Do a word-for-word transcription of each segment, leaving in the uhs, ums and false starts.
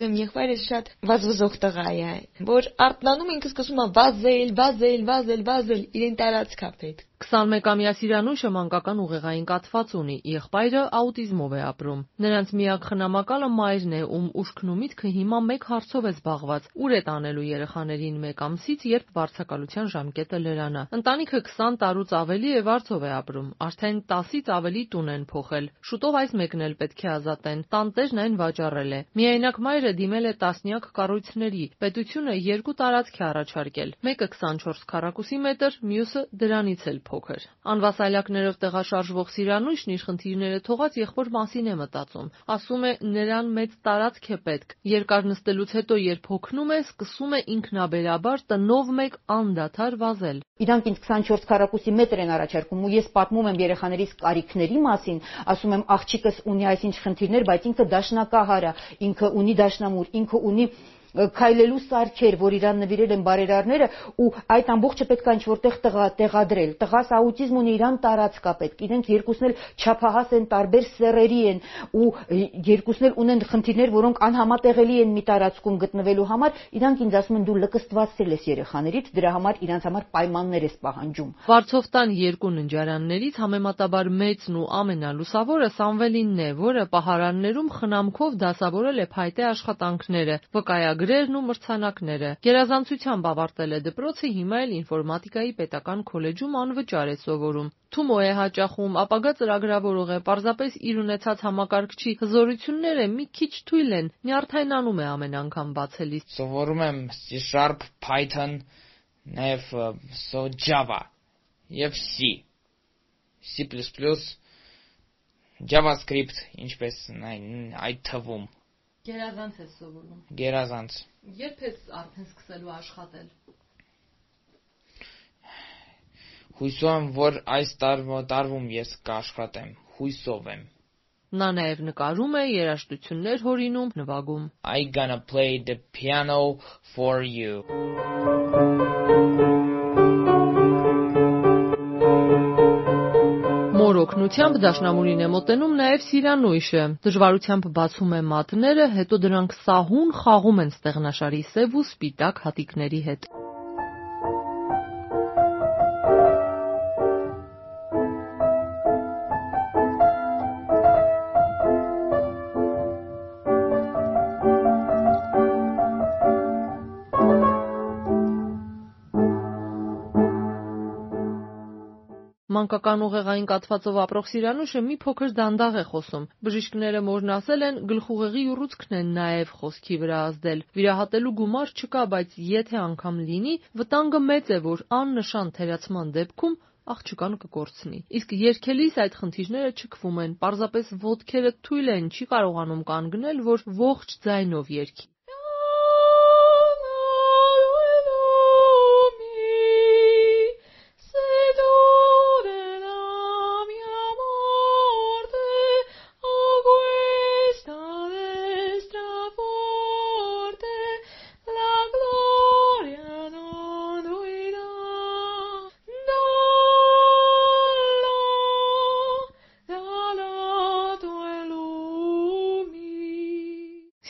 Իմ եղբայրս շատ վազվզող տղա է, որ արթնանում ինքը սկսում է վազել, վազել, վազել, վազել, իրեն տարածք է պետք։ քսանմեկամյա Սիրանույշը մանկական ուղեղային կաթված ունի, եղբայրը աուտիզմով է ապրում։ Նրանց միակ խնամակալը մայրն է, ում ուշքն ու միտքը հիմա մեկ հարցով է զբաղված՝ ուր է տանելու երեխաներին մեկ ամսից, երբ վարձակալության ժամկետը լրանա։ Ընտանիքը քսան տարուց ավելի է վարձով է ապրում, արդեն տասից ավելի տուն են փոխել։ Շուտով այս մեկն էլ պետք է ազատեն, տանտերն այն վաճառել է։ Միայնակ մայրը դիմել է տասնյակ կառույցների, պետությունը երկու տարածք է առաջարկել, մեկը քսանչորս քառակուսի մետր, մյուսը դրանից էլ փոքր։ Անվասայլակներով տեղաշարժվող Սիրանույշն իր խնդիրները թողած եղբոր մասին է մտածում, ասում է նրան մեծ տարածք է պետք, երկար նստելուց հետո երբ հոգնում է, սկսում է ինքնաբերաբար տնով մեկ անդադար վազել։ Իրանք ինձ քսանչորս քառակուսի մետր են առաջարկում ու ես պատմում եմ երեխաներիս կարիքների մասին, ասում եմ աղջիկս ունի այսինչ խնդիրներ, բայց ինքը դաշնակահար է, ինքը ունի դաշնամուր, ինքը ունի քայլելու սարքեր, որ իրան նվիրել են բարերարները ու այդ ամբողջը պետք է ինչ-որտեղ տեղադրել։ Տղաս աուտիզմ ունի, իրան տարածք է պետք։ Իրենք երկուսն էլ չափահաս են, տարբեր սեռերի են ու երկուսն էլ ունեն խնդիրներ, որոնք անհամատեղելի են մի տարածքում գտնվելու համար։ Իրանք ինձ ասում են դու լկստվածել ես երեխաներից, դրա համար իրանց համար պայմաններ ես պահանջում։ Վարձովտան երկու ննջարաններից համեմատաբար մեծն ու ամենալուսավորը Սամվելինն է, որը պահարաններում խնամքով դասավորել է փայտե աշխատանքները, վկայագրերն ու մրցանակները։ Գերազանցությամբ ավարտել է դպրոցը, հիմա էլ ինֆորմատիկայի պետական քոլեջում անվճար է սովորում։ Թումո է հաճախում, ապագա ծրագրավորող է, պարզապես իր ունեցած համակարգչի հզորությունները մի քիչ թույլ են, նյարդայնանում է ամեն անգամ բացելիս։ Սովորում եմ C Sharp, Python, նաև Java և C, C++, JavaScript, ինչպես այդ թվում։ Գերազանց ես սովորում։ Գերազանց։ Երբ ես արդեն սկսելու աշխատել։ Հույսով եմ, որ այս տարվում ես կաշխատեմ, հույսով եմ։ Նա նաև նկարում է, երաժշտություններ հորինում, նվագում։ I gonna play the piano for you. Մոր օգնությամբ դաշնամուրին է մոտենում նաև Սիրանույշը, դժվարությամբ բացում է մատները, հետո դրանք սահուն խաղում են ստեղնաշարի սև ու սպիտակ հատիկների հետ։ Մանկական ուղեղային կաթվածով ապրող Սիրանույշը մի փոքր դանդաղ է խոսում։ Բժիշկները մորն ասել են, գլխուղեղի ուռուցքն են նաև խոսքի վրա ազդել։ Վիրահատելու գումար չկա, բայց եթե անգամ լինի, վտանգը մեծ է, որ աննշան թերացման դեպքում աղջկան կկորցնի։ Իսկ երգելիս այդ խնդիրները չքվում են, պարզապես ոտքերը թույլ են, չի կարողանում կանգնել, որ ողջ ձայնով երգի։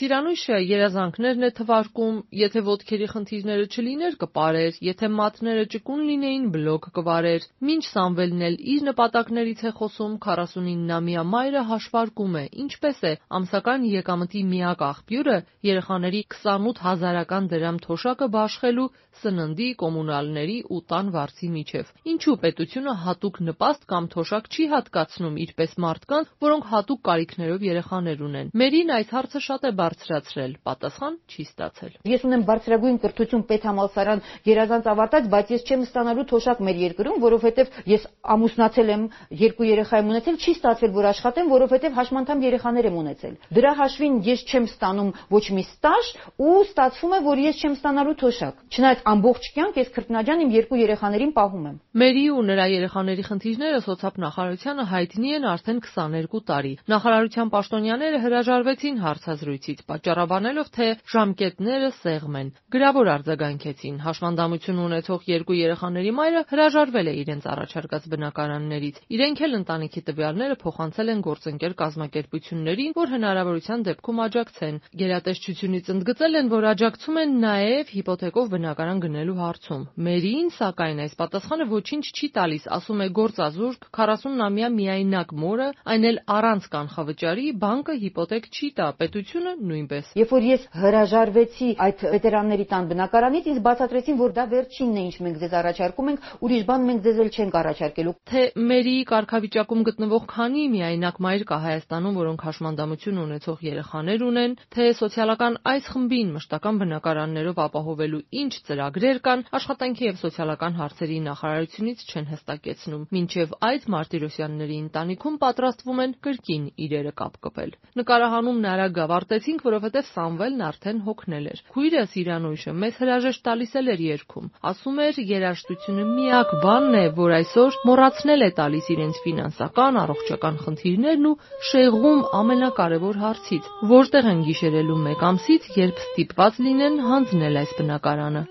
Սիրանույշը երազանքներն է թվարկում, եթե ոտքերի խնդիրները չլիներ կպարեր, եթե մատները ճկուն լինեին բլոկ կվարեր։ Մինչ Սամվելն էլ իր նպատակներից է խոսում, քառասունիննամյա մայրը հաշվարկում է, ինչպես է ամսական եկամտի միակ աղբյուրը երեխաների քսանութ հազարական դրամ թոշակը բաշխելու, սննդի, կոմունալների ու տան վարձի միջև։ Ինչու պետությունը հատուկ նպաստ կամ թոշակ չի հատկացնում իրպես մարդկանց, որոնք հատուկ կարիքներով երեխաներ ունեն։ Մերին այս հարցը շատ է բարձրացրել, պատասխան չի ստացել։ Ես ունեմ բարձրագույն կրթություն, պետհամալսարան, գերազանց ավարտած, բայց ես չեմ ստանալու թոշակ մեր երկրում, որովհետև ես ամուսնացել եմ, երկու երեխա եմ ունեցել, չի ստացվել, որ աշխատեմ, որովհետև հաշմանդամ երեխաներ եմ ունեցել։ Դրա հաշվին ես չեմ ստանում ոչ մի ստաժ ու ստացվում է, որ ես չեմ ստանալու թոշակ։ Չնայած ամբողջ կյանք ես քրտնաջան իմ երկու երեխաներին պահում եմ։ Մերի ու նրա երեխաների խնդիրները սոցիալ նախարարությանը հայտնի են արդեն քսաներկու տարի։ Նախարարության պաշտոնյաները հրաժարվեցին հարցազրույցից, պատճառաբանելով, թե ժամկետները սեղմ են։ Գրավոր արձագանքեցին։ Հաշմանդամություն ունեցող երկու երեխաների մայրը հրաժարվել է իրենց առաջարկած բնակարաններից։ Իրենք էլ ընտանիքի տվյալները փոխանցել են գործընկեր կազմակերպություններին, որ հնարավորության դեպքում աջակցեն։ Գերատեսչությունից ընդգծել են, որ աջակցում են նաև հիպոթեկով բնակարան գնելու հարցում։ Մերին, սակայն, այս պատասխանը ոչինչ չի տալիս, ասում է գործազուրկ քառասունամյա միայնակ մորը, այն էլ առանց կանխավճարի, բանկը հիպոթեկ չի տա, պետությունը նույնպես։ Երբ որ ես հրաժարվեցի այդ վետերանների տան բնակարանից, ինձ բացատրեցին, որ դա վերջինն է, ինչ մենք ձեզ առաջարկում ենք, ուրիշ բան մենք ձեզ էլ չենք առաջարկելու։ Թե Մերիի կարգավիճակում գտնվող քանի միայնակ մայր կա Հայաստանում, որոնք հաշմանդամություն ունեցող երեխաներ ունեն, թե սոցիալական այս խմբին մշտական բնակարաններով ապահովելու ինչ ծրագրեր կան, աշխատանքի եւ սոցիալական հարցերի նախարարությունից չեն հստակեցնում։ Մինչև այդ Մարտիրոսյանների ընտանիքում պատրաստվում են կրկին իրերը կապկպել։ Նկարահանումն արագ ավարտեցինք, որովհետև Սամվելն արդեն հոգնել էր։ Քույրս Իրանույշը մեզ հրաժեշտ տալիս էր երգում։ Ասում էր, երաժշտությունը միակ բանն է, որ այսօր մոռացնել է տալիս իրենց ֆինանսական, առողջական խնդիրներն ու շեղում ամենակարևոր հարցից, որտեղ են գիշերելու մեկ ամսից, երբ ստիպված լինեն հանձնել այս բնակարանը։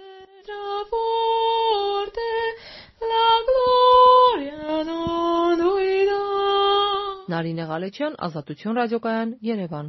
Նարինե Ղալեչյան, Ազատություն ռադիոկայան, Երևան։